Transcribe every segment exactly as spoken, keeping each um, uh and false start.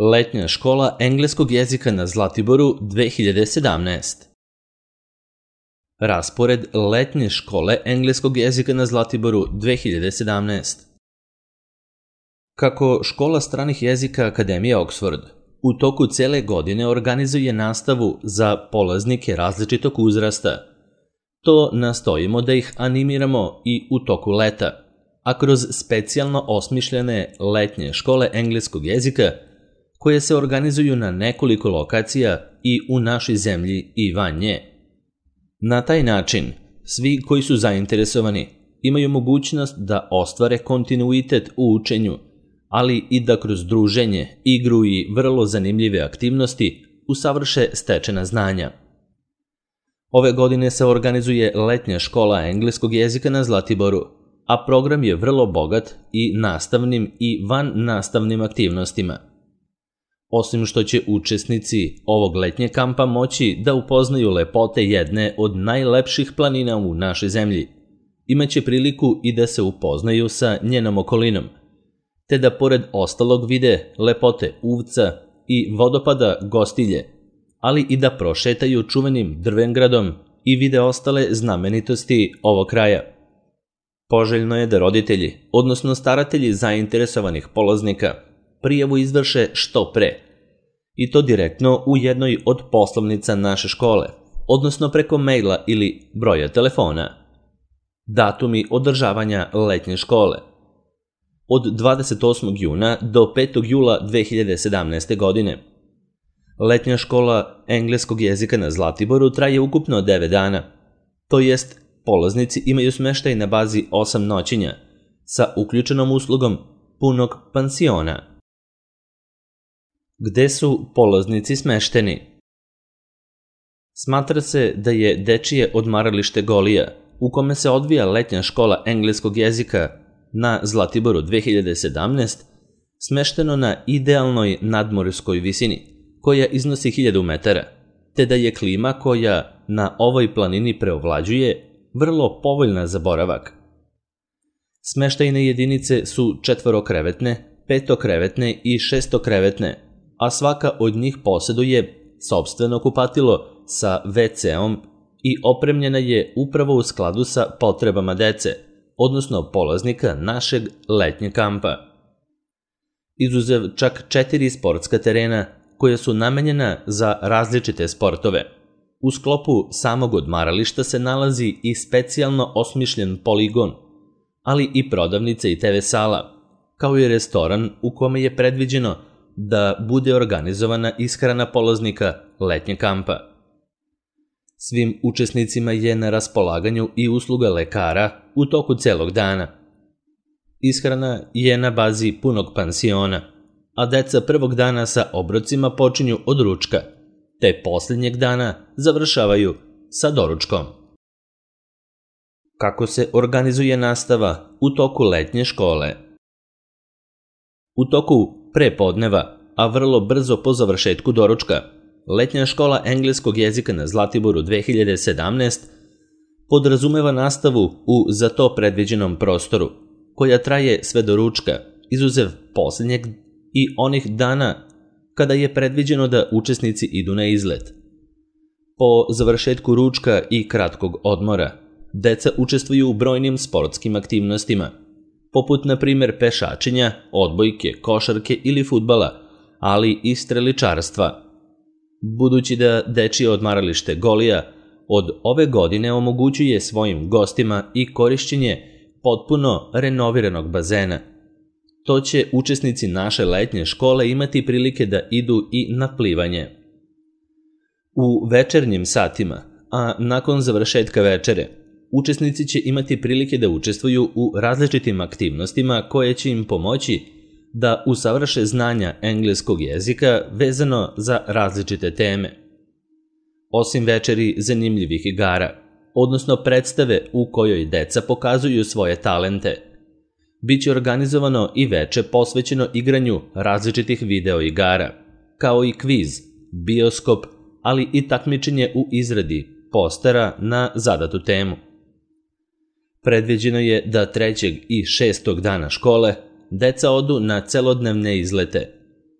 Letnja škola engleskog jezika na Zlatiboru dve hiljade sedamnaest. Raspored letnje škole engleskog jezika na Zlatiboru dve hiljade sedamnaest. Kako Škola stranih jezika Akademije Oxford u toku cele godine organizuje nastavu za polaznike različitog uzrasta, to nastojimo da ih animiramo i u toku leta, a kroz specijalno osmišljene letnje škole engleskog jezika koje se organizuju na nekoliko lokacija i u našoj zemlji i van nje. Na taj način, svi koji su zainteresovani imaju mogućnost da ostvare kontinuitet u učenju, ali i da kroz druženje, igru i vrlo zanimljive aktivnosti usavrše stečena znanja. Ove godine se organizuje letnja škola engleskog jezika na Zlatiboru, a program je vrlo bogat i nastavnim i van nastavnim aktivnostima. Osim što će učesnici ovog letnje kampa moći da upoznaju lepote jedne od najlepših planina u našoj zemlji, imaće priliku i da se upoznaju sa njenom okolinom, te da pored ostalog vide lepote Uvca i vodopada Gostilje, ali i da prošetaju čuvenim Drvengradom i vide ostale znamenitosti ovog kraja. Poželjno je da roditelji, odnosno staratelji zainteresovanih polaznika, prijavu izvrše što pre, i to direktno u jednoj od poslovnica naše škole, odnosno preko maila ili broja telefona. Datumi održavanja letnje škole: od dvadeset osmog juna do petog jula dve hiljade sedamnaeste. godine. Letnja škola engleskog jezika na Zlatiboru traje ukupno devet dana, to jest polaznici imaju smeštaj na bazi osam noćenja sa uključenom uslugom punog pansiona. Gde su polaznici smešteni? Smatra se da je dečije odmaralište Golija, u kome se odvija letnja škola engleskog jezika na Zlatiboru dve hiljade sedamnaest, smešteno na idealnoj nadmorskoj visini, koja iznosi hiljadu metara, te da je klima koja na ovoj planini preovlađuje vrlo povoljna za boravak. Smeštajne jedinice su četvorokrevetne, petokrevetne i šestokrevetne, a svaka od njih posjeduje sopstveno kupatilo sa ve ce-om i opremljena je upravo u skladu sa potrebama dece, odnosno polaznika našeg letnjeg kampa. Izuzev čak četiri sportska terena koja su namenjena za različite sportove, u sklopu samog odmarališta se nalazi i specijalno osmišljen poligon, ali i prodavnica i te ve sala, kao i restoran u kome je predviđeno da bude organizovana ishrana polaznika letnjeg kampa. Svim učesnicima je na raspolaganju i usluga lekara u toku celog dana. Ishrana je na bazi punog pansiona, a deca prvog dana sa obrocima počinju od ručka, te posljednjeg dana završavaju sa doručkom. Kako se organizuje nastava u toku letnje škole? U toku prepodneva, a vrlo brzo po završetku doručka, letnja škola engleskog jezika na Zlatiboru dve hiljade sedamnaest podrazumeva nastavu u za to predviđenom prostoru, koja traje sve do ručka, izuzev posljednjeg i onih dana kada je predviđeno da učesnici idu na izlet. Po završetku ručka i kratkog odmora, deca učestvuju u brojnim sportskim aktivnostima, poput na primjer pešačenja, odbojke, košarke ili fudbala, ali i streličarstva. Budući da dečije odmaralište Golija od ove godine omogućuje svojim gostima i korišćenje potpuno renoviranog bazena, to će učesnici naše letnje škole imati prilike da idu i na plivanje. U večernjim satima, a nakon završetka večere, učesnici će imati prilike da učestvuju u različitim aktivnostima koje će im pomoći da usavrše znanja engleskog jezika vezano za različite teme. Osim večeri zanimljivih igara, odnosno predstave u kojoj deca pokazuju svoje talente, biće organizovano i veče posvećeno igranju različitih video igara, kao i kviz, bioskop, ali i takmičenje u izradi postera na zadatu temu. Predviđeno je da trećeg i šestog dana škole deca odu na celodnevne izlete,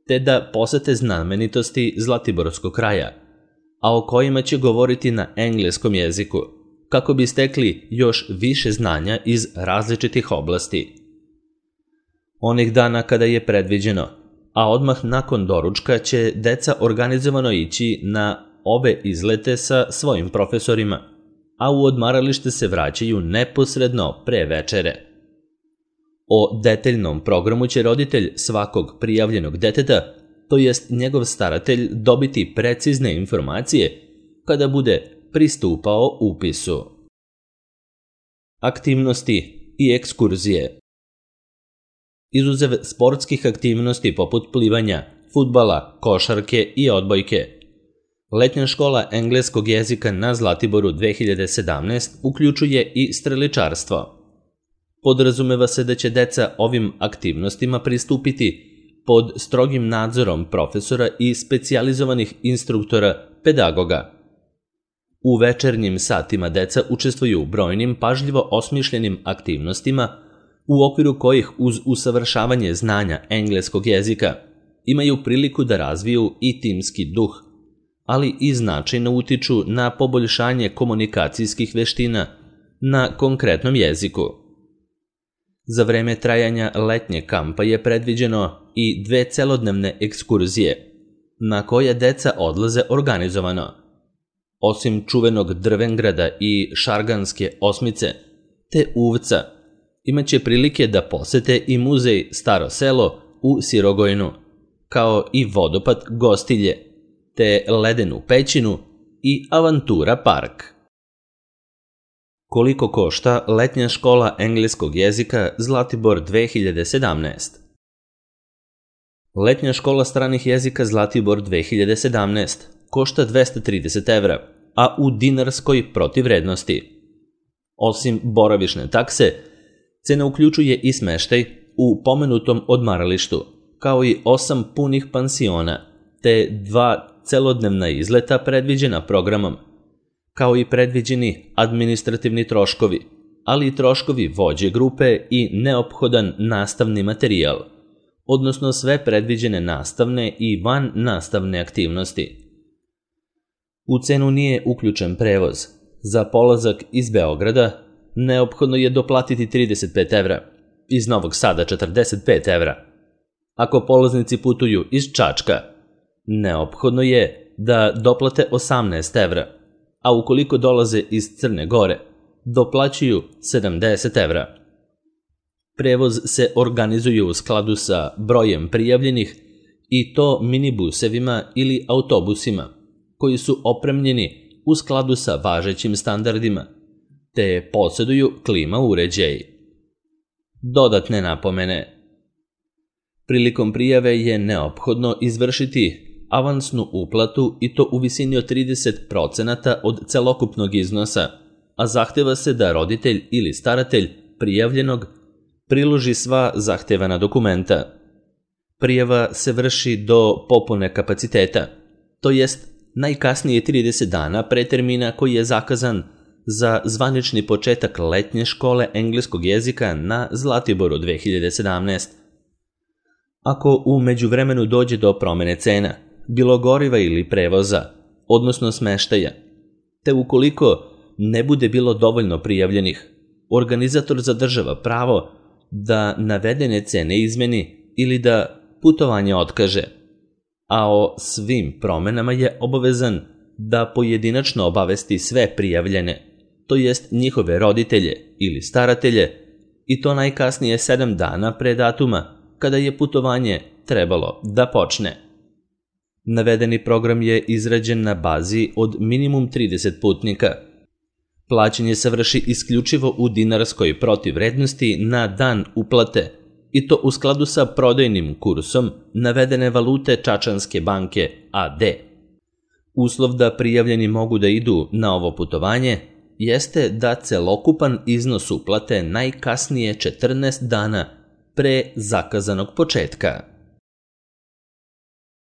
te da posete znamenitosti Zlatiborskog kraja, a o kojima će govoriti na engleskom jeziku, kako bi stekli još više znanja iz različitih oblasti. Onih dana kada je predviđeno, a odmah nakon doručka će deca organizovano ići na obe izlete sa svojim profesorima, a u odmaralište se vraćaju neposredno pre večere. O detaljnom programu će roditelj svakog prijavljenog deteta, to jest njegov staratelj, dobiti precizne informacije kada bude pristupao upisu. Aktivnosti i ekskurzije. Izuzev sportskih aktivnosti poput plivanja, fudbala, košarke i odbojke, letnja škola engleskog jezika na Zlatiboru dve hiljade sedamnaeste uključuje i streličarstvo. Podrazumeva se da će deca ovim aktivnostima pristupiti pod strogim nadzorom profesora i specijalizovanih instruktora pedagoga. U večernjim satima deca učestvuju u brojnim pažljivo osmišljenim aktivnostima u okviru kojih uz usavršavanje znanja engleskog jezika imaju priliku da razviju i timski duh, ali i značajno utiču na poboljšanje komunikacijskih veština na konkretnom jeziku. Za vreme trajanja letnje kampa je predviđeno i dve celodnevne ekskurzije, na koje deca odlaze organizovano. Osim čuvenog Drvengrada i Šarganske osmice, te Uvca, imaće prilike da posete i muzej Staro selo u Sirogojnu, kao i vodopad Gostilje, te Ledenu pećinu i Avantura park. Koliko košta letnja škola engleskog jezika Zlatibor dve hiljade sedamnaeste? Letnja škola stranih jezika Zlatibor dve hiljade sedamnaeste košta dvesta trideset evra, a u dinarskoj protivrednosti. Osim boravišne takse, cena uključuje i smeštaj u pomenutom odmaralištu, kao i osam punih pansiona, te dva celodnevna izleta predviđena programom, kao i predviđeni administrativni troškovi, ali i troškovi vođe grupe i neophodan nastavni materijal, odnosno sve predviđene nastavne i van nastavne aktivnosti. U cenu nije uključen prevoz. Za polazak iz Beograda neophodno je doplatiti trideset pet evra, iz Novog Sada četrdeset pet evra. Ako polaznici putuju iz Čačka, neophodno je da doplate osamnaest evra, a ukoliko dolaze iz Crne Gore, doplaćuju sedamdeset evra. Prevoz se organizuje u skladu sa brojem prijavljenih i to minibusevima ili autobusima, koji su opremljeni u skladu sa važećim standardima, te posjeduju klima uređaj. Dodatne napomene. Prilikom prijave je neophodno izvršiti avansnu uplatu i to u visini od trideset procenata od celokupnog iznosa, a zahteva se da roditelj ili staratelj prijavljenog priloži sva zahtevana dokumenta. Prijava se vrši do popune kapaciteta, to jest najkasnije trideset dana pre termina koji je zakazan za zvanični početak letnje škole engleskog jezika na Zlatiboru dve hiljade sedamnaeste. Ako u međuvremenu dođe do promene cena, bilo goriva ili prevoza, odnosno smeštaja, te ukoliko ne bude bilo dovoljno prijavljenih, organizator zadržava pravo da navedene cene izmeni ili da putovanje otkaže, a o svim promenama je obavezan da pojedinačno obavesti sve prijavljene, to jest njihove roditelje ili staratelje, i to najkasnije sedam dana pre datuma kada je putovanje trebalo da počne. Navedeni program je izrađen na bazi od minimum trideset putnika. Plaćanje se vrši isključivo u dinarskoj protivrednosti na dan uplate, i to u skladu sa prodajnim kursom navedene valute Čačanske banke A D. Uslov da prijavljeni mogu da idu na ovo putovanje jeste da celokupan iznos uplate najkasnije četrnaest dana pre zakazanog početka.